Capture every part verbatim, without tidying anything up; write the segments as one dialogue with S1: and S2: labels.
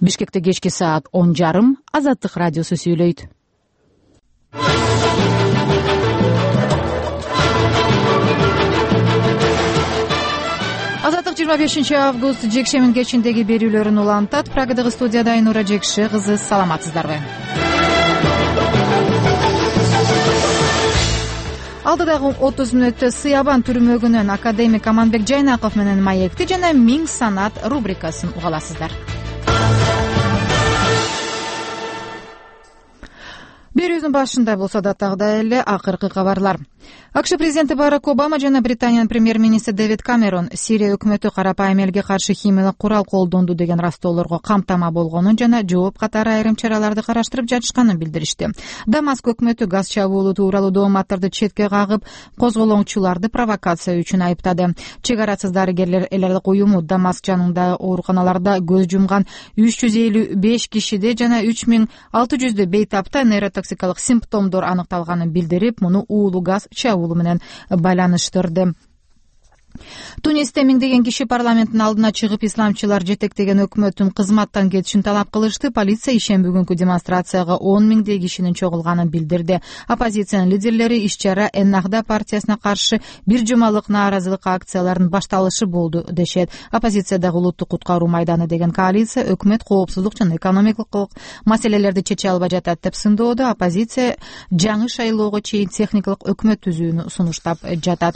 S1: Бишкекте кечки саат он жарым. Азаттык радиосу сүйлөйт. Азаттык жыйырма бешинчи август жекшемин кечиндеги берүүлөрүн улантат. Прагадагы студияда Айнура Жекши кызы, саламатсыздарбы? Алдыдагы отуз мүнөттө Сыябан түрмөгүнөн академик Аманбек Жайнаков менен маекти жана Миң санат рубрикасын угаласыздар. Берүүбүздүн башында болсо датагдагыдай эле акыркы кабарлар. АКШ президенти Барак Обама жана Британиянын премьер-министри Дэвид Камерон Сирия өкмөтү карапайым элге каршы химиялык курал колдонду деген растоолорго камтама болгонун жана жооп катары айрым чараларды караштырып жатышканын билдиришти. Дамаск өкмөтү газ чабуулу тууралуу дооматтарды четке кагып, козголоңчуларды провокация үчүн айыптады. Чек арасыз дарыгерлер эл аралык уюму Дамаск жанындагы ооруканаларда көз жумган үч жүз элүү беш кишиде жана үч миң алты жүздөй бейтапта нейротоксикалык симптомдор аныкталганын билдирип, муну уулуу газ чабуулу менен байланыштырды. Тунисте миңдеген киши парламенттин алдына чыгып, исламчылар жетектеген өкмөттүн кызматтан кетишин талап кылышты. Полиция ишемби күнкү демонстрацияга он миңдей кишинин чогулганын билдирди. Оппозициянын лидерлери иш-чара Эннахда партиясына каршы бир жумалык нааразылык акцияларынын башталышы болду дешет. Оппозициядагы улуттук куткаруу майданы деген коалиция өкмөт коопсуздук жана экономикалык маселелерди чече албай жатат деп сындоодо. Оппозиция жаңы шайлоого чейин техникалык өкмөт түзүүнү сунуштап жатат.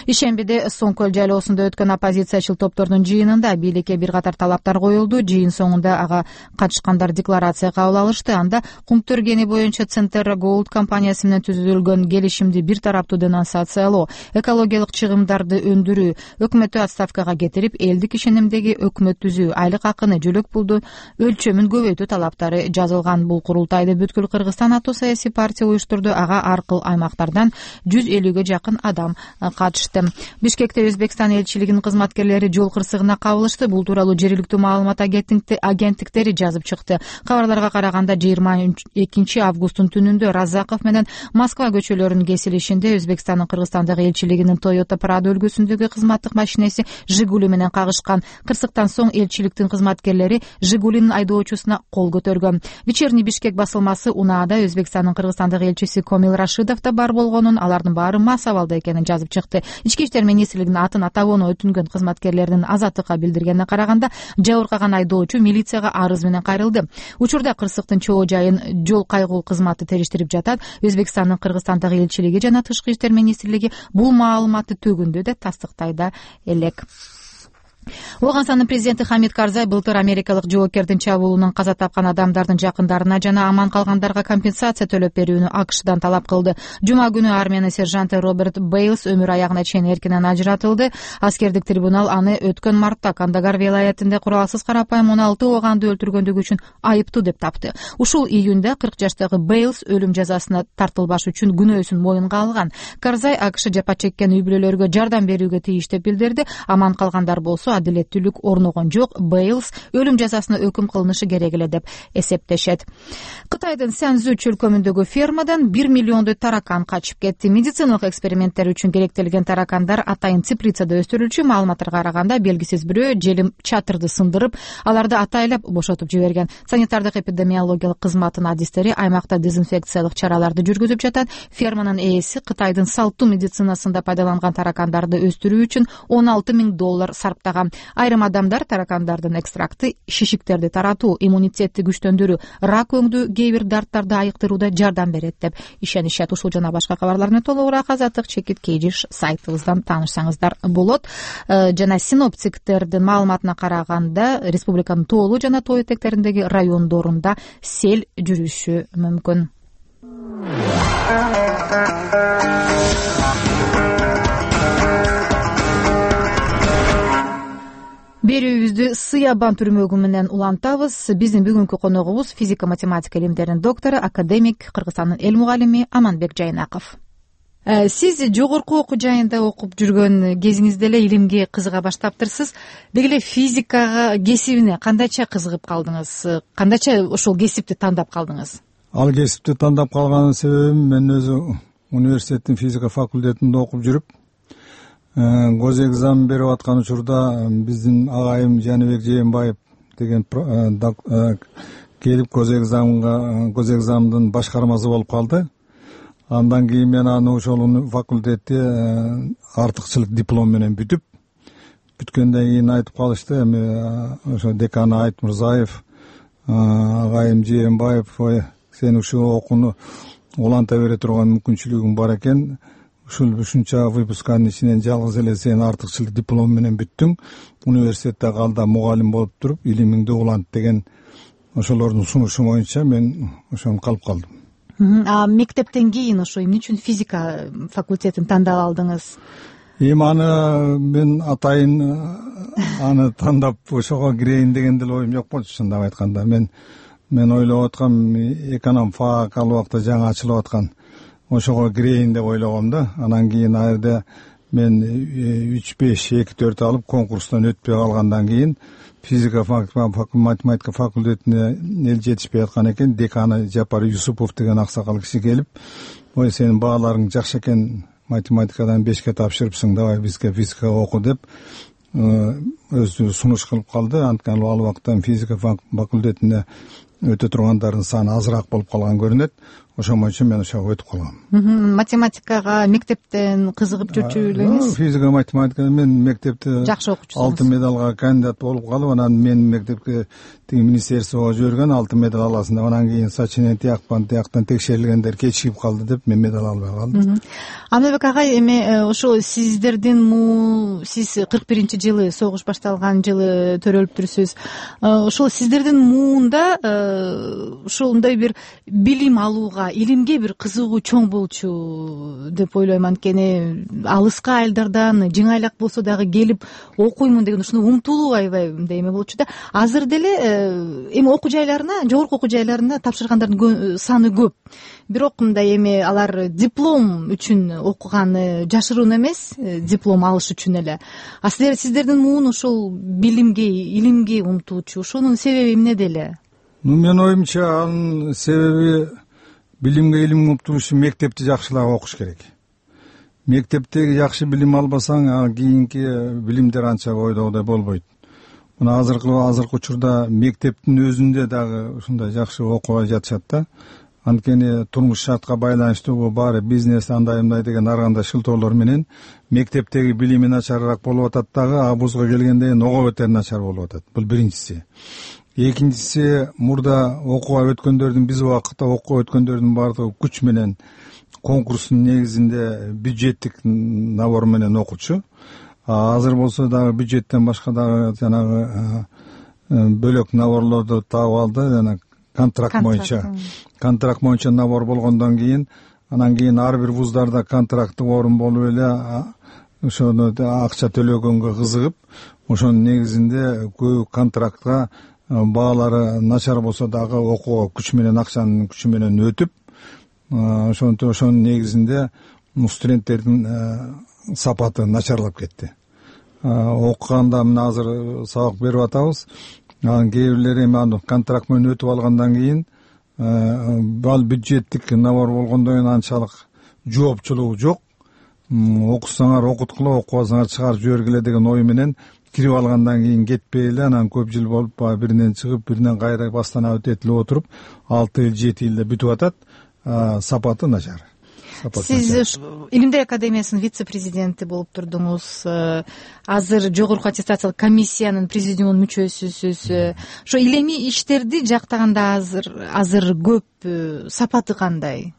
S1: Ишембиде Соңкөл жайлоосунда өткөн оппозициячыл топтордун жыйынында бийликке бир катар талаптар коюлду. Жыйын соңунда ага катышкандар декларация кабыл алышты. Анда Кумтөргени боюнча Центр Голд компаниясы менен түзүлгөн келишимди бир тараптуу денонсациялоо, экологиялык чыгымдарды өндүрүү, өкмөттү отставкага кетирип, элдик ишенимдеги өкмөт түзүү, айлык акыны, жөлөк пулду өлчөмүн көбөйтүү талаптары жазылган. Бул курултайды бүткүл Кыргызстан аттуу саясий партия уюштурду. Ага аркыл аймактардан жүз элүүгө жакын адам катышты. Бишкекте Өзбекстан элчилигинин кызматкерлери жол кырсыгына кабылышты. Бул тууралуу жергиликтүү маалымат агенттиктери жазып чыкты. Кабарларга караганда жыйырма экинчи августтун түнүндө Разаков менен Москва көчөлөрүнүн кесилишинде Өзбекстандын Кыргызстандагы элчилигинин Toyota Prado үлгүсүндөгү кызматтык машинеси Жигули менен кагышкан. Кырсыктан соң элчиликтин кызматкерлери Жигулинин айдоочусуна кол көтөргөн. Вечерний Бишкек басылмасы унаада Өзбекстандын Кыргызстандагы элчиси Комил Рашидов да бар болгонун, алардын баары мас абалда экенин жазып чыкты. Ички иштер министрлигинин атын атагону өтүнгөн кызматкерлердин Азаттыкка билдиргенине караганда, жабыркаган айдоочу милицияга арыз менен кайрылды. Учурда кырсыктын чоо жайын жол кайгуу кызматы териштирип жатат. Өзбекстандын Кыргызстандагы элчилиги жана Тышкы иштер министрлиги бул маалыматты төгүндө да тастыктай да элек. Оганстандын президенти Хамид Карзай былтыр америкалык жоокердин чабуулунан каза тапкан адамдардын жакындарына жана аман калгандарга компенсация төлөп берүүнү АКШдан талап кылды. Жума күнү армиянын сержанты Роберт Бейлс өмүр аягына чейин эркинен ажыратылды. Аскердик трибунал аны өткөн мартта Кандагар вилаятында куралсыз карапайым он алты оганды өлтүргөндүгү үчүн айыптуу деп тапты. Ушул июнда кырк жаштагы Бейлс өлүм жазасына тартылбаш үчүн күнөөсүн моюнга алган. Карзай АКШ жапа чеккен үй бүлөлөргө жардам берүүгө тийиш деп билдирди. Аман калгандар болсо адилеттүүлүк орногон жок. Бейлс өлүм жазасына өкүм кылынышы керек эле деп эсептешет. Кытайдын Сянзу чөлкөмүндөгү фермадан бир миллиондой таракан качып кетти. Медициналык эксперименттер үчүн керектелген таракандар атайын теплицада өстүрүлчү. Маалыматтарга караганда, белгисиз бирөө желим чатырды сындырып, аларды атайлап бошотуп жиберген. Санитардык эпидемиологиялык кызматтын адистери аймакта дезинфекциялык чараларды жүргүзүп жатат. Ферманын ээси Кытайдын салттуу медицинасында пайдаланган таракандарды өстүрүү үчүн он алты миң доллар сарптаган. Айрым адамдар таракандардын экстракты шишиктерди таратуу, иммунитетти күчтөндүрүү, рак өңдүү, кээ бир дарттарды айыктырууда жардам берет деп ишенишет. Ушул жана башка кабарлар менен толугураак Азаттык чекит кейжиш сайтыбыздан таанышсаңыздар болот. Жана синоптиктердин маалыматына караганда, республиканын тоолуу жана тоо этектериндеги райондорунда сел жүрүшү мүмкүн. Берүүбүздү Сыябан түрмөгү менен улантабыз. Биздин бүгүнкү коногубуз физика математика илимдеринин доктору, академик, Кыргызстандын эл мугалими Аманбек Жайнаков. Сиз жогорку окуу жайында окуп жүргөн кезиңизде эле илимге кызыга баштаптырсыз. Деги эле физикага, кесибине кандайча кызыгып калдыңыз? Кандайча ошол кесипти тандап калдыңыз?
S2: Ал кесипти тандап калганын себебим, мен өзү университеттин физика факультетинде окуп жүрүп, гос экзамен берип аткан учурда биздин агайым Жаныбек Жээнбаев деген келип көз экзамга көз экзамдын башкармасы болуп калды. Андан кийин мен аны ошол факультетте артыкчылык диплом менен бүтүп, бүткөндөн кийин айтып калышты, эми ошо декан Айт Мырзаев, агайым Жээнбаев, ой сен ушул окууну уланта бере турган мүмкүнчүлүгүң бар экен, ушул ушунча выпусканын ичинен жалгыз эле сен артыкчылык диплом менен бүттүң, университетте кал да мугалим болуп туруп илимиңди улант деген ошолордун сунушу боюнча мен ошону калып калдым.
S1: А мектептен кийин ошо эмне үчүн физика факультетин тандап алдыңыз?
S2: Эми аны мен атайын аны тандап ошого кирейин деген деле оюм жок болчу, чындап айтканда. Мен мен ойлоп аткам, эконом фак ал убакта жаңы ачылып аткан, ошого кирейин деп ойлогом да. Анан кийин ал жерде мен үч беш эки төрт алып конкурстан өтпөй калгандан кийин физика математика факультетине эл жетишпей аткан экен. Деканы Жапар Юсупов деген аксакал киши келип, ой сенин бааларың жакшы экен, математикадан бешке тапшырыпсың, давай бизге физика оку деп өзү сунуш кылып калды. Анткени ал убакта физика факультетине өтө тургандардын саны азыраак болуп калган көрүнөт. Ошон боюнча мен ошого өтүп калгам.
S1: Математикага мектептен кызыгып жүрчү элеңиз?
S2: Физика математика мен мектепте
S1: жакшы окучусуңуз.
S2: Алтын медалга кандидат болуп калып, анан мен мектепке тиги министерствого жиберген алтын медаль аласың деп, анан кийин сочинение тияктан тияктан текшерилгендер кечигип калды деп мен медаль албай калдым.
S1: Амелбек агай, эми ошо сиздердин му сиз кырк биринчи жылы согуш башталган жылы төрөлүптүрсүз. Ошол сиздердин муунда ушундай бир билим алууга, илимге бир кызыгуу чоң болчу деп ойлойм. Анткени алыска айылдардан жыңайлак болсо дагы келип окуймун деген ушуну умтулуу аябай мындай эме болчу да. Азыр деле эми окуу жайларына, жогорку окуу жайларына тапшыргандардын саны көп. Бирок мындай эми алар диплом үчүн окуганы жашыруун эмес, диплом алыш үчүн эле. А сиздер сиздердин муун ошол билимге, илимге умтуучу. Ошонун себеби эмнеде эле?
S2: Ну, менин оюмча анын себеби билимге илимге умтулуш үчүн мектепти жакшылап окуш керек. Мектептеги жакшы билим албасаң, кийинки билимдер анча ойдогудай болбойт. Мына азыркы азыркы учурда мектептин өзүндө дагы ушундай жакшы окубай жатышат да. Анткени турмуш шартка байланыштуу бул баары бизнес андай мындай деген ар кандай шылтоолор менен мектептеги билими начарыраак болуп атат дагы, абузга келгенде ого бетер начар болуп атат. Бул биринчиси. Экинчиси, мурда окууга өткөндөрдүн, биз убакытта окууга өткөндөрдүн баардыгы күч менен конкурстун негизинде бюджеттик набор менен окучу. Азыр болсо дагы бюджеттен башка дагы жанагы бөлөк наборлорду таап алды, жана контракт боюнча. Контракт боюнча набор болгондон кийин, анан кийин ар бир вуздарда контракттык орун болуп эле ошону акча төлөгөнгө кызыгып, ошонун негизинде көбү контрактка баалары начар болсо дагы окууга күч менен, акчанын күчү менен өтүп, ошонтип ошонун негизинде студенттердин сапаты начарлап кетти. Окуганда мына азыр сабак берип атабыз. Анан кээ бирлери эми аны контракт менен өтүп алгандан кийин ал бюджеттик набор болгондон кийин анчалык жоопчулугу жок. Окусаңар окуткула, окубасаңар чыгарып жибергиле деген ой менен кирип алгандан кийин кетпей эле, анан көп жыл болуп баягы биринен чыгып, биринен кайра бастан өтүп отуруп, алты жыл, жети жылда бүтүп атат. Сапаты начар.
S1: Сиз Илимдер академиясынын вице-президенти болуп турдуңуз. Азыр жогорку аттестациялык комиссиянын президиумунун мүчөсүсүз. Ошо илимий иштерди жактаганда азыр азыр көп. Сапаты кандай?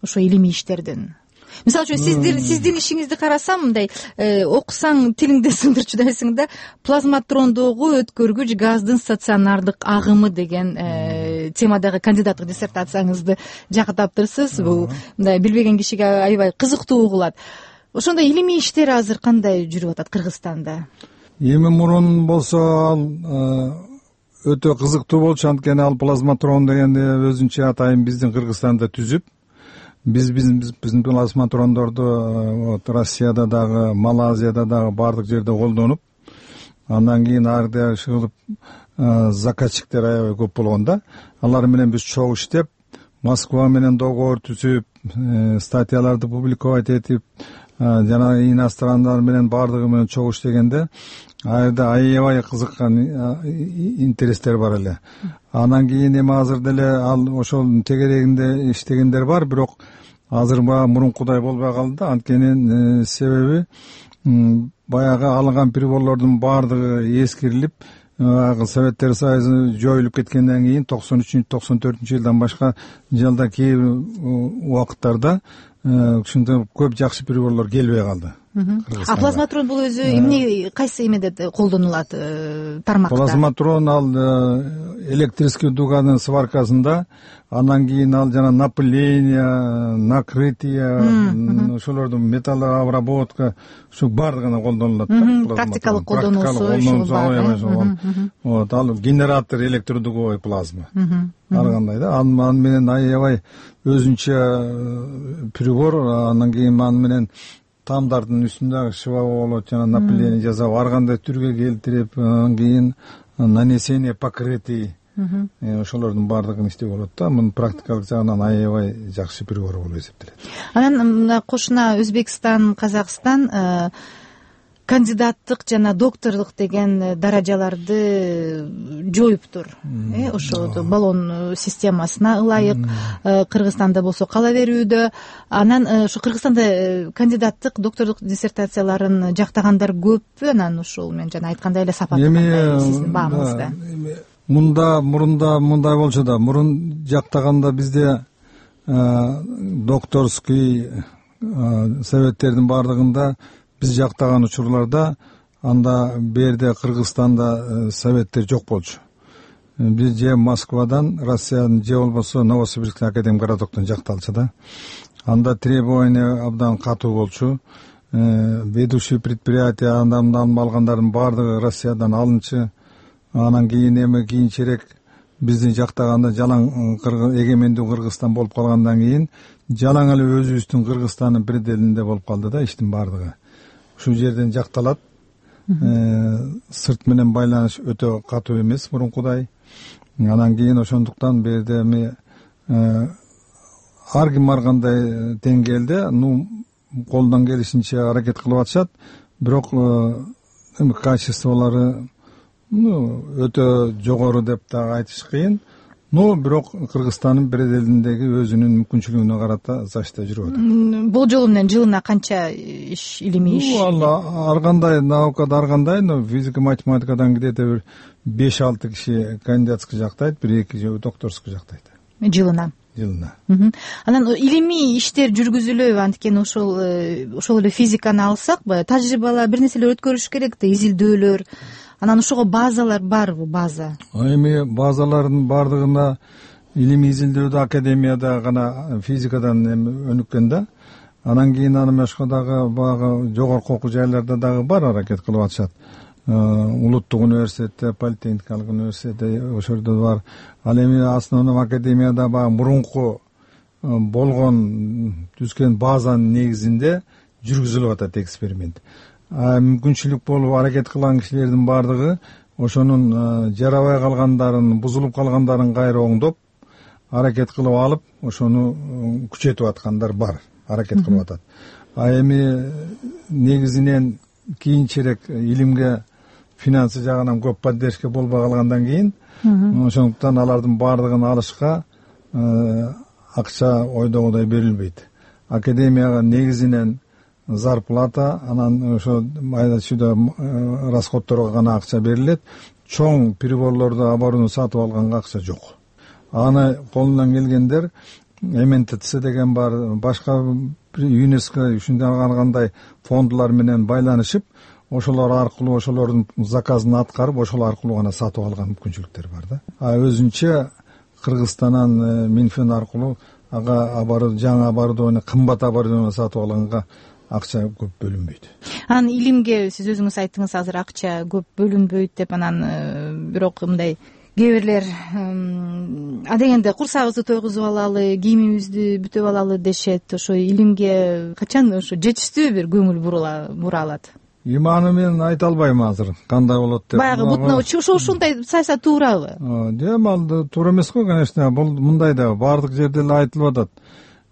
S1: Ошо илимий иштердин. Мисалы үчүн сиздин сиздин ишиңизди карасам, мындай окусаң тилиңди сындырчудайсың да, плазматрондогу өткөргүч газдын стационардык агымы деген темадагы кандидаттык диссертацияңызды жактаптырсыз. Бул мындай билбеген кишиге аябай кызыктуу угулат. Ошондой илимий иштер азыр кандай жүрүп атат Кыргызстанда?
S2: Эми мурун болсо ал өтө кызыктуу болчу, анткени ал плазматрон дегенди өзүнчө атайын биздин Кыргызстанда түзүп, Биз биздин плазматрондорду вот Россияда дагы, Малайзияда дагы бардык жерде колдонуп, андан кийин ар жерде чыгылып заказчиктер аябай көп болгон да. Алар менен биз чогуу иштеп, Москва менен договор түзүп, статьяларды публиковать этип, жана инострандар менен бардыгы менен чогуу иштегенде, ал жерде аябай кызыккан интерестер бар эле. Анан кийин эми азыр деле ал ошол тегерегинде иштегендер бар, бирок азыр баягы мурункудай болбой калды да. Анткени себеби баягы алынган приборлордун баардыгы эскирилип, Советтер Союзу жоюлуп кеткенден кийин токсон үчүнчү токсон төртүнчү жылдан башка жылда кээ бир убакыттарда ушундай көп жакшы приборлор келбей калды.
S1: А плазматрон бул өзү эмне, кайсы эмеде колдонулат, тармакта?
S2: Плазматрон ал электрический дуганын сваркасында, анан кийин ал жана напыление, накрытие, ошолордун металл обработка, ушу баардыгына колдонулат.
S1: Практикалык колдонуусу.
S2: Вот, ал генератор электродуговой плазма. Ар кандай да. Анан менен аябай өзүнчө прибор, анан кийин аны менен тамдардын үстүндө шыва болот, жана напыление жасап, ар кандай түргө келтирип, анан кийин нанесение покрытий, ошолордун баардыгын иштеп болот да. Мунун практикалык жагынан аябай жакшы прибор болуп эсептелет.
S1: Анан кошуна Өзбекстан, Казакстан кандидаттык жана докторлук деген даражаларды жоюптур. Э, ошо баллон системасына ылайык. Кыргызстанда болсо кала берүүдө. Анан ошо Кыргызстанда кандидаттык, докторлук диссертацияларын жактагандар көппү? Анан ушул мен жана айткандай эле сапаты кандай сиздин баамыңызда?
S2: Мында мурунда мындай болчу да, мурун жактаганда бизде докторский советтердин баардыгында биз жактаган учурларда анда берде Кыргызстанда советтер жок болчу. Биз же Москвадан, Россиянын, же болбосо Новосибирский академик городоктон жакталчу да. Анда требование абдан катуу болчу. Ведущий предприятие андан алгандардын баардыгы Россиядан алынчы. Анан кийин эми кийинчерээк биздин жактаганда жалаң эгемендүү Кыргызстан болуп калгандан кийин жалаң эле өзүбүздүн Кыргызстандын пределинде болуп калды да иштин баардыгы. Ушул жерден жакталат. Сырт менен байланыш өтө катуу эмес мурункудай. Анан кийин ошондуктан бу жерде эми ар ким ар кандай деңгээлде ну колдон келишинче аракет кылып атышат. Бирок эми качестволору ну өтө жогору деп да айтыш кыйын. Но бирок Кыргызстандын пределиндеги өзүнүн мүмкүнчүлүгүнө карата зачта жүрүп атат.
S1: Бул жолу менен жылына канча иш, илимий иш?
S2: Ну, ар кандай наукада ар кандай, но физика, математикадан где-то бир беш алты киши кандидатский жактайт, бир эки докторский жактайт.
S1: Жылына.
S2: Жылына.
S1: Анан илимий иштер жүргүзүлөбү? Анткени ошол ошол эле физиканы алсак, баягы тажрыйбалар, бир нерселер өткөрүш керек да, изилдөөлөр. Анан ошого базалар барбы, база?
S2: Эми базалардын баардыгына илимий изилдөөдө академияда гана физикадан өнүккөн да. Анан кийин аны башка дагы баягы жогорку окуу жайларда дагы бар аракет кылып атышат. Улуттук университетте, политехникалык университетте ошол жерде бар. Ал эми основном академияда баягы мурунку болгон түзгөн базанын негизинде жүргүзүлүп атат эксперимент. Мүмкүнчүлүк болуп аракет кылган кишилердин баардыгы ошонун жарабай калгандарын, бузулуп калгандарын кайра оңдоп, аракет кылып алып, ошону күчөтүп аткандар бар, аракет кылып атат. А эми негизинен кийинчерээк илимге финансы жагынан көп поддержка болбой калгандан кийин, ошондуктан алардын баардыгын алышка акча ойдогудай берилбейт. Академияга негизинен зарплата, анан ошо майда чүйдө расходторго гана акча берилет. Чоң приборлорду оборудование сатып алганга акча жок. Аны колунан келгендер эм эн тэ цэ деген бар, башка ЮНЕСКО ушундай кандай фондулар менен байланышып, ошолор аркылуу ошолордун заказын аткарып, ошол аркылуу гана сатып алган мүмкүнчүлүктөр бар да. А өзүнчө Кыргызстандан Минфин аркылуу ага оборудование, жаңы оборудование, кымбат оборудование сатып алганга акча көп бөлүнбөйт.
S1: Анан илимге сиз өзүңүз айттыңыз, азыр акча көп бөлүнбөйт деп, анан бирок мындай кээ бирлер а дегенде курсагыбызды тойгузуп алалы, кийимибизди бүтөп алалы дешет. Ошо илимге качан ошо жетиштүү бир көңүл бура алат?
S2: Иманы мен айта албайм азыр кандай болот деп.
S1: Баягы бутуна ошо ушундай саясат туурабы?
S2: Жок, ал туура эмес го, конечно. Бул мындай да баардык жерде эле айтылып атат.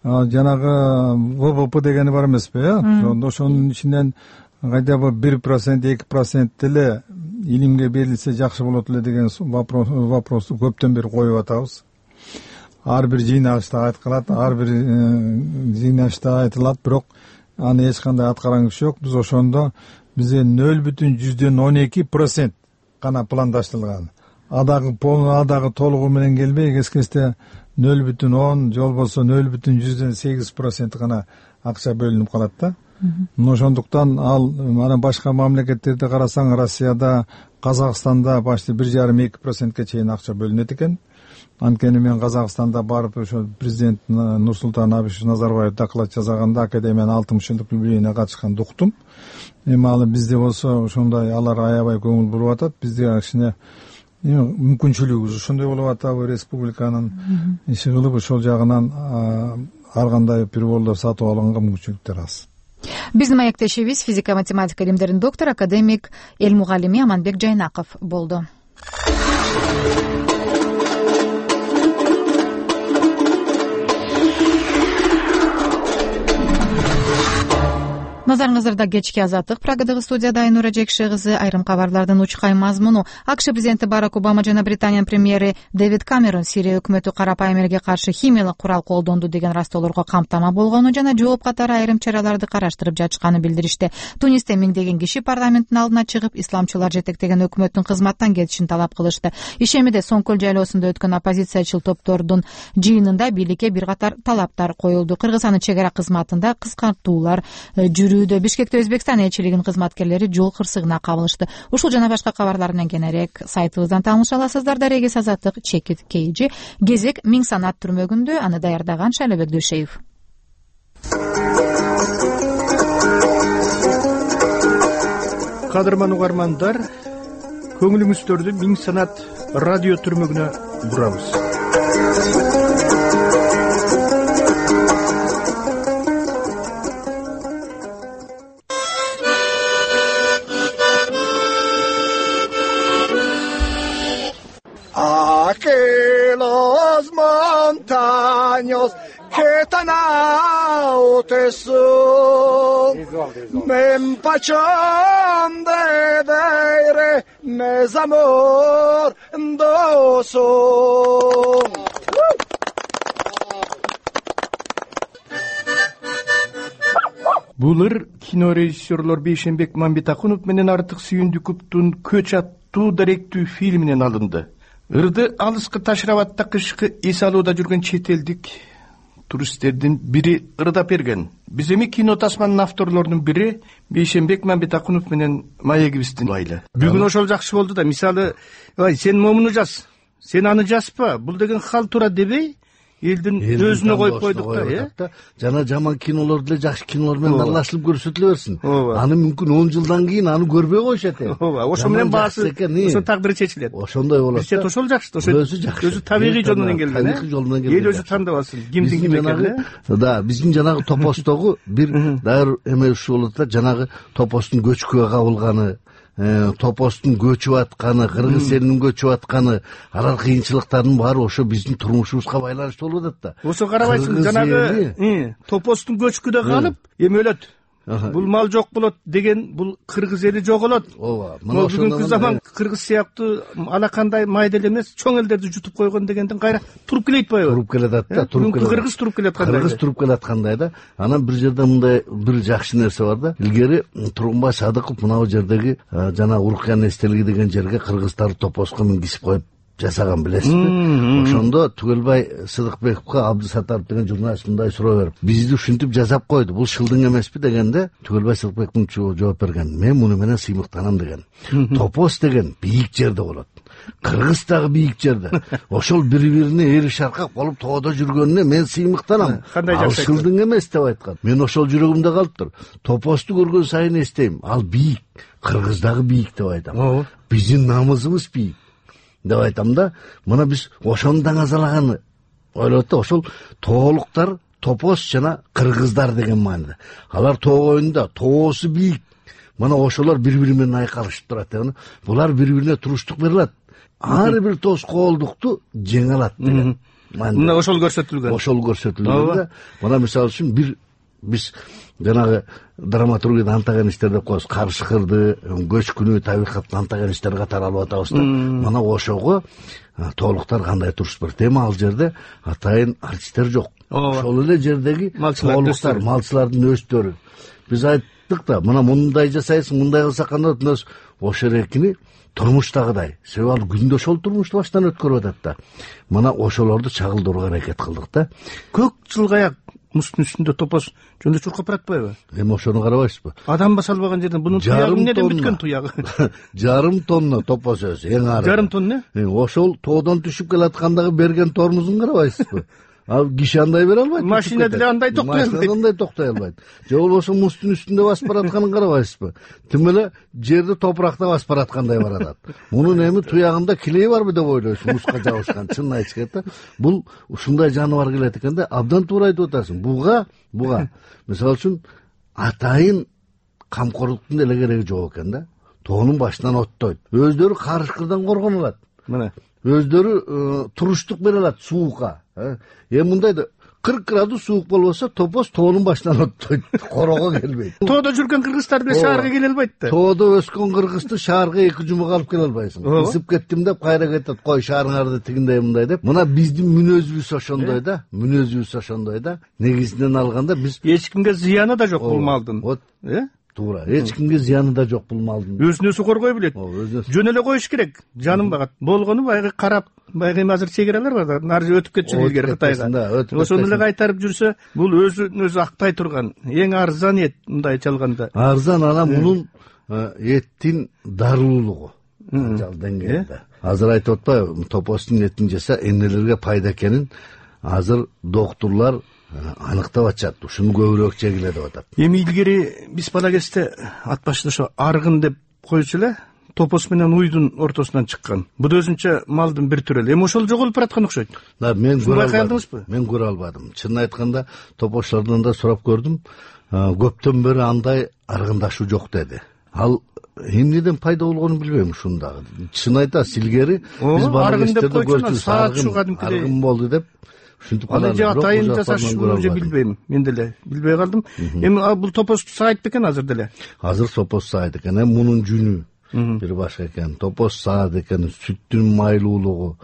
S2: Жанагы вэ вэ пэ дегени бар эмеспи, э? Ошонун ичинен кайда бы бир процент эки процент деле илимге берилсе жакшы болот эле деген вопрос вопросту көптөн бери коюп атабыз. Ар бир жыйнагычта айткылат, ар бир жыйнагычта айтылат, бирок аны эч кандай аткарган күч жок. Биз ошондо бизде нөл бүтүн жүздөн он эки процент гана пландаштырылган. Адагы адагы толугу менен келбей кез кезде нөл бүтүн он же болбосо нөл бүтүн жүздөн сегиз процент гана акча бөлүнүп калат да. Ошондуктан ал мана башка мамлекеттерди карасаң, Россияда, Казакстанда почти бир жарым эки процентке чейин акча бөлүнөт экен. Анткени мен Казакстанда барып ошо президент Нурсултан Абишевич Назарбаев доклад жасаганда академиянын алтымыш жылдык юбилейине катышканды уктум. Эми ал бизде болсо ошондой алар аябай көңүл буруп атат. Бизде кичине мүмкүнчүлүгүбүз ошондой болуп атабы, республиканын иши кылып ошол жагынан ар кандай приборлор сатып алганга мүмкүнчүлүктөр аз.
S1: Биздин маектешибиз физика математика илимдеринин доктору академик эл мугаллими Аманбек Жайнаков болду. Назарыңыздарда кечки азаттык программадагы студияда Айнура Жекше кызы. Айрым кабарлардын учкай мазмуну: АКШ президенти Барак Обама жана Британиянын премьери Дэвид Камерон Сирия өкмөтү карапайым элге каршы химиялык курал колдонду деген растоолорго камтама болгону жана жооп катары айрым чараларды караштырып жатышканын билдиришти. Тунисте миңдеген киши парламенттин алдына чыгып, исламчылар жетектеген өкмөттүн кызматтан кетишин талап кылышты. Ишемиде Соңкөл жайлоосунда өткөн оппозициячыл топтордун жыйынында бийликке бир катар талаптар коюлду. Кыргызстандын чек ара кызматында кыскартуулар жүрүүдө. Бишкекте Өзбекстан элчилигинин кызматкерлери жол кырсыгына кабылышты. Ушул жана башка кабарлар менен кененирээк сайтыбыздан тааныша аласыздар. Дарегес азаттык чекит кейжи. Кезек Миң санат түрмөгүндө. Аны даярдаган Шайлобек Дөшеев.
S3: Кадырман угармандар, көңүлүңүздөрдү Миң санат радио түрмөгүнө бурабыз.
S4: Aquelos montaños que tan altos son, me empachón de aire, mes amor doso.
S3: Булыр кино режиссерлор Бейшенбек Мамбетакунов менен Артык Сүйүндүковдун Көч аттуу даректүү фильминен алынды. Ырды алыскы Ташрабатта кышкы эс алууда жүргөн чет элдик туристтердин бири ырдап берген. Биз эми кино тасманын авторлорунун бири Бейшенбек Мамбетакунов менен маегибиздин байлы. Бүгүн ошол жакшы болду да. Мисалы, ой, сен момуну жаз, сен аны жазпа, бул деген халтура дебей, элдин өзүнө коюп койдук да, э?
S5: Жана жаман кинолор деле жакшы кинолор менен аралашылып көрсөтүлө берсин. Аны мүмкүн он жылдан кийин аны көрбөй коюшат э.
S3: Ооба, ошо менен баасы, ошо такдыры чечилет.
S5: Ошондой болот.
S3: Бизче ошол жакшы, ошо өзү табигый жол менен келген,
S5: табигый жол менен келген.
S3: Эл өзү тандабасын, кимдин ким экенин.
S5: Да, биздин жанагы топостогу бир дайыр эме ушул болот да, жанагы топостун көчкүгө кабылганы, топостун көчүп атканы, кыргыз элинин көчүп атканы, алар кыйынчылыктардын баары ошо биздин турмушубузга байланыштуу болуп атат да.
S3: Ошо карабайсың, жанагы топостун көчкүдө калып, эми өлөт. Бул мал жок болот деген, бул кыргыз эли жоголот.
S5: Ооба.
S3: Мына бүгүнкү заман кыргыз сыяктуу алакандай майда эмес, чоң элдерди жутуп койгон дегенден кайра туруп келет атпайбы?
S5: Туруп келет ат да, туруп келет.
S3: Кыргыз туруп келет кандай?
S5: Кыргыз туруп келет аткандай да. Анан бир жерде мындай бир жакшы нерсе бар да. Илгери Тургунбай Садыков мына жердеги жана Урукян эстелиги деген жерге кыргыздар топоско мингизип коюп жасаган, билесизби? Ошондо Түгөлбай Сыдыкбековго Абдысаттаров деген журналист мындай суроо берип, бизди ушинтип жасап койду, бул шылдың эмеспи дегенде, Түгөлбай Сыдыкбековдун жооп берген, мен муну менен сыймыктанам деген. Топос деген бийик жерде болот. Кыргыз дагы бийик жерде. Ошол бири-бирине эри шаркак болуп тоодо жүргөнүнө мен сыймыктанам. Ал шылдың эмес деп айткан. Мен ошол жүрөгүмдө калыптыр. Топосту көргөн сайын эстейм, ал бийик, Кыргыз дагы бийик деп айтам. Биздин намысыбыз бийик деп айтам да. Мына биз ошону даңазалаганы ойлойт да, ошол тоолуктар топос жана кыргыздар деген мааниде. Алар тоо боюнда тоосу бийик. Мына ошолор бири-бири менен айкалышып турат деген. Булар бири-бирине туруштук бере алат. Ар бир тоскоолдукту жеңе алат деген.
S3: Мына ошол көрсөтүлгөн.
S5: Ошол көрсөтүлгөн да. Мына мисалы үчүн бир биз жанагы драматургияда антаган иштер деп коебуз, карышкырды, көчкүнү, табигатты антаган иштер катары алып атабыз да. Мына ошого тоолуктар кандай туруш бар. Эми ал жерде атайын артисттер жок. Ошол эле жердеги тоолуктар, малчылардын өздөрү. Биз айттык да, мына мындай жасайсың, мындай кылсак кандай болот. Ошол эркини турмуштагыдай. Себеби ал күндө ошол турмушту баштан өткөрүп атат да. Мына ошолорду чагылдырууга аракет кылдык да.
S3: Көк жылгаяк муздун үстүндө топоз жөн эле чуркап баратпайбы?
S5: Эми ошону карабайсызбы?
S3: Адам баса албаган жерден бунун туягы эмнеден бүткөн туягы?
S5: Жарым тонна топоз өзү, эң ары.
S3: Жарым тонна?
S5: Ошол тоодон түшүп келаткандагы берген тормузун карабайсызбы? Ал киши андай бере албайт.
S3: Машина деле андай токтой албайт.
S5: Машина андай токтой албайт. Же болбосо муздун үстүндө басып баратканын карабайсызбы? Тим эле жерди топуракта басып бараткандай баратат. Мунун эми туягында килеи барбы деп ойлойсуң, музга жабышкан. Чынын айтыш керек да. Бул ушундай жаныбар келет экен да, абдан туура айтып атасың. Буга, буга мисалы үчүн атайын камкорлуктун деле кереги жок экен да. Тоонун башынан оттойт. Өздөрү карышкырдан коргоно алат. Мына өздөрү туруштук бере алат суукка. Эми мындай да кырк градус суук болбосо топоз тоонун башынан оттойт, корого келбейт.
S3: Тоодо жүргөн кыргыздар деле шаарга келе албайт да.
S5: Тоодо өскөн кыргызды шаарга эки жумага алып келе албайсың. Ысып кеттим деп кайра кетет, кой шаарыңарды тигиндей мындай деп. Мына биздин мүнөзүбүз ошондой да, мүнөзүбүз ошондой да. Негизинен алганда биз
S3: эч кимге зыяны да жок бул малдын.
S5: Вот, э? Туура. Эч кимге зыяны да жок бул малдын.
S3: Өзүн өзү коргой билет. Жөн эле коюш керек. Жаным багат. Болгону баягы карап, баягы эми азыр чегералар бар да. Нары өтүп кетчү илгери Кытайга. Ошону эле кайтарып жүрсө, бул өзүн өзү актай турган эң арзан эт мындай чалганда.
S5: Арзан анан мунун эттин дарылуулугу. Анчал деңгээлде. Азыр айтып атпайбы, топоздун этин жаса эмнелерге пайда экенин азыр доктурлар аныктап атышат. Ушуну көбүрөөк жегиле деп атат.
S3: Эми илгери биз бала кезде ат башында ошо аргын деп койчу эле, топоз менен уйдун ортосунан чыккан. Бул өзүнчө малдын бир түрү эле. Эми ошол жоголуп бараткан окшойт.
S5: Да, мен көрө албадым. Мен көрө албадым. Чынын айтканда, топозчулардан да сурап көрдүм. Көптөн бери андай аргындашуу жок деди. Ал эмнеден пайда болгонун билбейм ушундагы. Чын айтасыз, илгери биз бала кезде көрчүбүз, аргын болду деп.
S3: Аны же атайын жасашууну же билбейм. Мен деле билбей калдым. Эми бул топоз саайт бекен азыр деле?
S5: Азыр топоз саайт экен. Эми мунун жүнү бир башка экен. Топоз саат экен, сүттүн майлуулугу,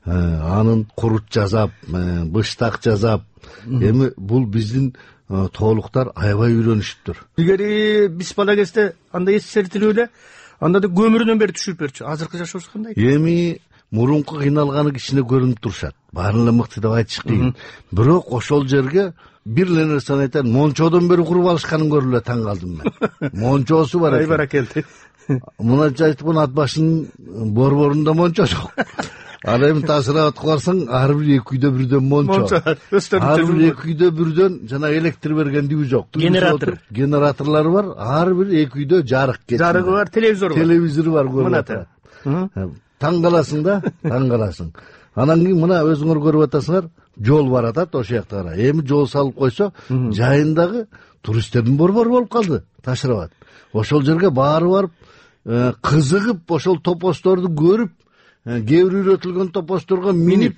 S5: анын курут жасап, быштак жасап. Эми бул биздин тоолуктар аябай үйрөнүшүптүр.
S3: Илгери биз бала кезде андай эсертилүү эле, анда да көмүрүнөн бери түшүрүп берчү. Азыркы жашообуз кандай?
S5: Эми мурунку кыйналганы кичине көрүнүп турушат. Баарын эле мыкты деп айтыш кыйын. Бирок ошол жерге бир эле нерсени айтайын, мончодон бери куруп алышканын көрүп эле таң калдым мен. Мончосу бар экен.
S3: Ай баракелди.
S5: Мына айтып ат башынын борборунда мончо жок. Ал эми тасырап аткып барсаң, ар бир эки үйдө бирден мончо. Ар бир эки үйдө бирден жана электр берген дүү жок.
S3: Генератор.
S5: Генераторлору бар, ар бир эки үйдө жарык кетти.
S3: Жарыгы бар, телевизор бар.
S5: Телевизору бар көрүп атат. Таң каласың да, таң каласың. Анан кийин мына өзүңөр көрүп атасыңар, жол бар атат ошол жакта кара. Эми жол салып койсо, жайындагы туристтердин борбору болуп калды, Ташрабат. Ошол жерге баары барып, кызыгып, ошол топоздорду көрүп, кээ бир үйрөтүлгөн топоздорго минип,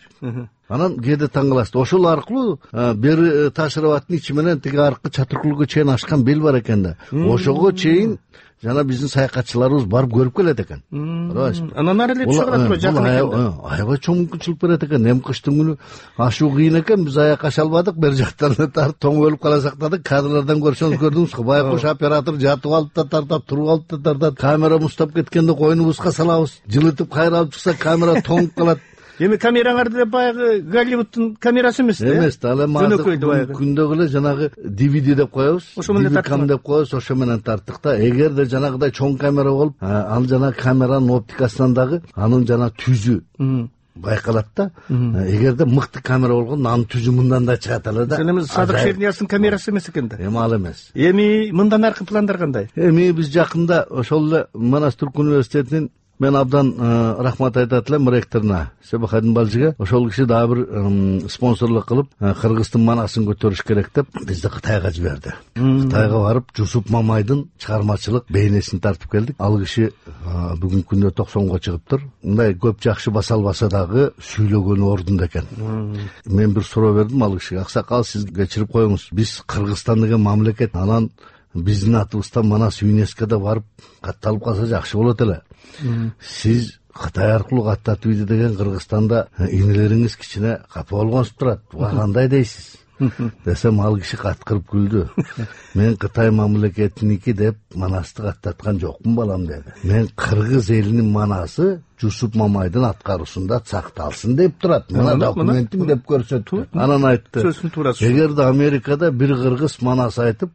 S5: анан кээде таң каласыз. Ошол аркылуу бери Ташрабаттын ичи менен тиги аркы Чатыркулга чейин ашкан бел бар экен да. Ошого чейин жана биздин саякатчыларыбыз барып көрүп келет экен. Карабайсызбы?
S3: Анан ары эле түшүп калат турбайбы, жакын экен.
S5: Аябай чоң мүмкүнчүлүк берет экен. Эми кыштын күнү ашуу кыйын экен, биз аяк аша албадык, бер жактан тартып тоң өлүп кала сактадык. Кадрлардан көрсөңүз көрдүңүз го, байкуш оператор жатып алып да тартат, туруп алып да тартат. Камера муздап кеткенде койнубузга салабыз. Жылытып кайра алып чыкса камера тоңуп калат.
S3: Эми камераңар деле баягы Голливудтун камерасы эмес да?
S5: Эмес да, ал эми азыр күндөгү эле жанагы ди ви ди деп коебуз.
S3: Ошо менен тарттык
S5: деп коебуз, ошо менен тарттык да. Эгерде жанагыдай чоң камера болуп, ал жана камеранын оптикасынан дагы анын жана түзү байкалат да. Эгерде мыкты камера болгондо анын түзү мындан да чыгат эле да.
S3: Эми Садык Шернияздын камерасы эмес экен да.
S5: Эми ал эмес.
S3: Эми мындан аркы пландар кандай?
S5: Эми биз жакында ошол эле Манас Түрк университетинин мен абдан рахмат айтат элем ректоруна Себахадин Балжиге. Ошол киши дагы бир спонсорлук кылып Кыргыздын манасын көтөрүш керек деп бизди Кытайга жиберди. Кытайга барып Жусуп Мамайдын чыгармачылык бейнесин тартып келдик. Ал киши бүгүнкү күндө токсонго чыгыптыр. Мындай көп жакшы баса албаса дагы сүйлөгөнү ордунда экен. Мен бир суроо бердим ал кишиге. Аксакал, сиз кечирип коюңуз. Биз Кыргызстан деген мамлекет, анан биздин атыбыздан Манас ЮНЕСКОда барып катталып калса жакшы болот эле. Сиз Кытай аркылуу каттатып ийди деген Кыргызстанда инелериңиз кичине капа болгонсуп турат. Буга кандай дейсиз? Десем ал киши каткырып күлдү. Мен Кытай мамлекетиники деп Манасты каттаткан жокмун балам деди. Мен Кыргыз элинин манасы Жусуп Мамайдын аткаруусунда сакталсын деп турат. Мына документим деп көрсөттү. Анан айтты, эгерде Америкада бир кыргыз манас айтып,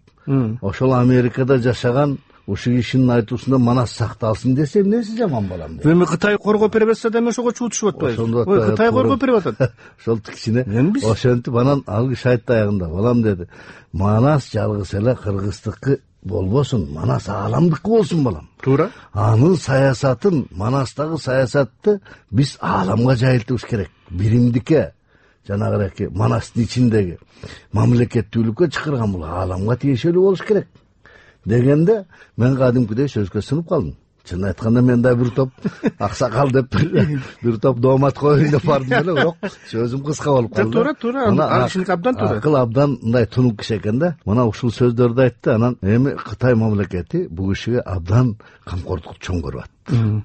S5: ошол Америкада жашаган ушул кишинин айтуусунда Манас сакталсын десе, эмнеси жаман балам деди.
S3: Эми Кытай коргоп бере берсе да эми ошого чуутушуп атпайбы? Ой, Кытай коргоп берип атат.
S5: Ошол кичине ошентип анан ал киши айтты аягында, балам деди, Манас жалгыз эле кыргыздыкы болбосун, Манас ааламдыкы болсун балам.
S3: Туура.
S5: Анын саясатын, Манастагы саясатты биз ааламга жайылтыбыз керек. Биримдикке, жанагы Манастын ичиндеги мамлекеттүүлүккө чакырган бул ааламга тиешелүү болуш керек дегенде мен кадимкидей сөзгө сынып калдым. Чын айтканда мен да бир топ аксакал деп бир топ доомат коюн деп бардым эле, бирок сөзүм кыска болуп калды.
S3: Туура, туура. Ал кишиники абдан туура.
S5: Акыл абдан мындай тунук киши экен да. Мына ушул сөздөрдү айтты. Анан эми Кытай мамлекети бул кишиге абдан камкордук чоң көрүп атты.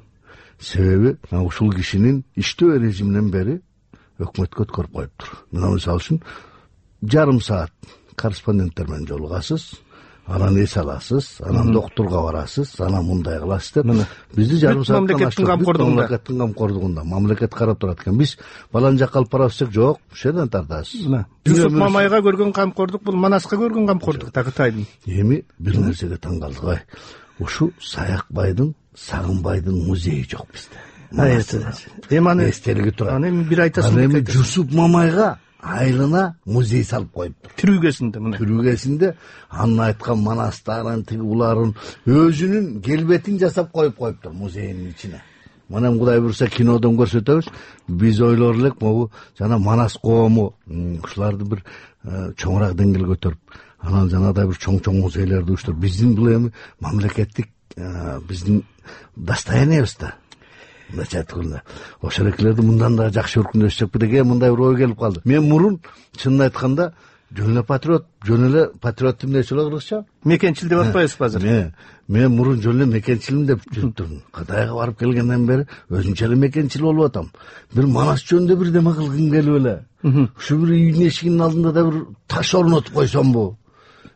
S5: Себеби ушул кишинин иштөө режиминен бери өкмөткө өткөрүп коюптур. Мына мисалы үчүн жарым саат корреспонденттер менен жолугасыз, анан эс аласыз, анан доктурга барасыз, анан мындай кыласыз деп бизди жарым сааттан
S3: мамлекеттин камкордугунда
S5: мамлекеттин камкордугунда мамлекет карап турат экен. Биз балан жакка алып барабыз десек, жок, ушул жерден тартасыз.
S3: Жусуп Мамайга көргөн камкордук бул Манаска көргөн камкордук да Кытайдын.
S5: Эми бир нерсеге таң калдык. Ай, ушу Саякбайдын, Сагынбайдын музейи жок бизде.
S3: Эми аны
S5: эстелиги турат.
S3: Аны эми бир айтасың.
S5: Аны эми Жусуп Мамайга айылына музей салып коюптур.
S3: Түрүгесинде мына.
S5: Түрүгесинде анын айткан Манастарын, тиги уларын өзүнүн келбетин жасап коюп коюптур музейдин ичине. Мына Кудай буйрса кинодон көрсөтөбүз. Биз ойлор элек могу жана Манас коому ушуларды бир чоңураак деңгээлге көтөрүп, анан жанагыдай бир чоң-чоң музейлерди уюштуруп, биздин бул эми мамлекеттик биздин достояниябыз да. Начаткында ошол экелерди мындан да жакшы өркүндөшсөкпү деген мындай бир ой келип калды. Мен мурун чынын айтканда жөн эле патриот, жөн эле патриот эмнеси эле кыргызча?
S3: Мекенчил деп атпайбызбы азыр?
S5: Мен мен мурун жөн эле мекенчилим деп жүрүп турдум. Кытайга барып келгенден бери өзүнчө эле мекенчил болуп атам. Бир Манас жөнүндө бирдеме кылгым келип эле. Ушу бир үйдүн эшигинин алдында да бир таш орнотуп койсомбу?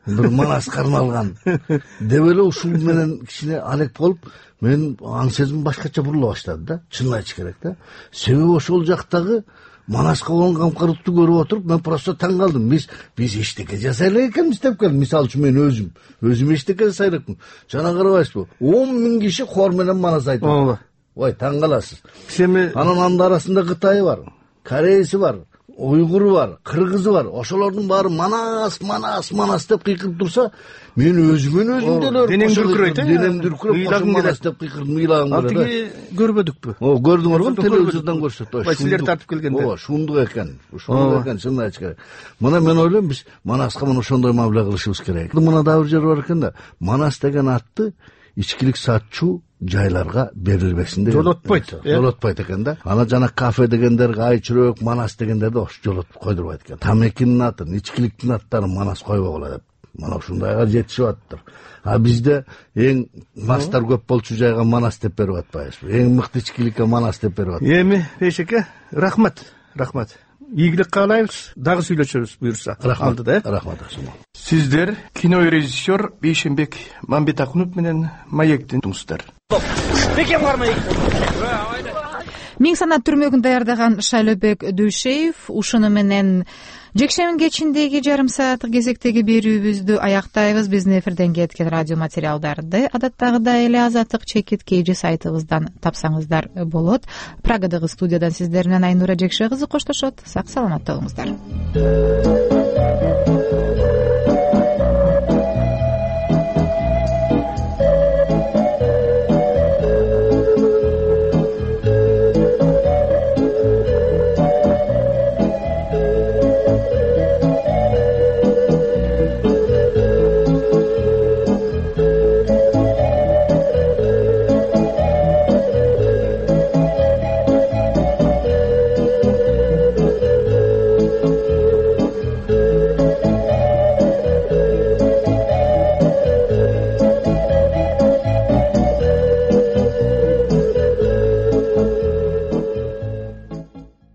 S5: Бир Манаска арналган деп эле ушул менен кичине алек болуп, мен аң сезим башкача бурула баштады да. Чынын айтыш керек да. Себеби ошол жактагы Манаска болгон камкордукту көрүп отуруп, мен просто таң калдым. Биз биз эчтеке жасай элек экенбиз деп келдим. Мисалы үчүн мен өзүм, өзүм эчтеке жасай элекмин. Жана карабайсызбы? он миң киши хор менен Манас айтып.
S3: Ооба.
S5: Ой, таң каласыз.
S3: Семи
S5: анын анын арасында Кытайы бар, Корейси бар, уйгуру бар, кыргызы бар. Ошолордун баары Манас, Манас, Манас деп кыйкырып турса, мен өзүмөн өзүм деле
S3: денем дүркүрөйт, э?
S5: денем дүркүрөп,
S3: ыйлагым
S5: Манас деп кыйкырдым, ыйлагым
S3: келет. Алтыги көрбөдүкпү?
S5: О, көрдүңөрбү? Телевизордон көрсөттү.
S3: Ой, силер тартып келгенде.
S5: Ооба, шундук экен. Ушундук экен, чынын айтыш керек. Мына мен ойлойм, биз Манаска мына ошондой мамиле кылышыбыз керек. Мына дагы бир жер бар экен да. Манас деген атты ичкилик сатчу жайларга берилбесин деген.
S3: Жолотпойт.
S5: Жолотпойт экен да. Ана жана кафе дегендерге айчүрөк, Манас дегендерди ош жолотуп койдурбайт экен. Тамекинин атын, ичкиликтин аттарын Манас койбогула деп. Мана ушундайга жетишип аттыр. А бизде эң мастар көп болчу жайга Манас деп берип атпайбызбы? Эң мыкты ичкиликке Манас деп берип атпайбызбы?
S3: Эми Бейшеке, рахмат, рахмат. Ийгилик каалайбыз, дагы сүйлөшөбүз буюрса. Алдыда, э?
S5: Рахмат.
S3: Сиздер кинорежиссер Бейшенбек Мамбетакунов менен Маектин туңуздар.
S6: Бекем бар Маек.
S1: Миң санат түрмөгүн даярдаган Шайлообек Дүйшеев ушуну менен жекшембин кечиндеги жарым сааттык кезектеги берүүбүздү аяктайбыз. Биздин эфирден кеткен радио материалдарды адаттагыдай эле Азаттык чекит kg сайтыбыздан тапсаңыздар болот. Прагадагы студиядан сиздер менен Айнура Жекше кызы коштошот. Сак саламатта болуңуздар.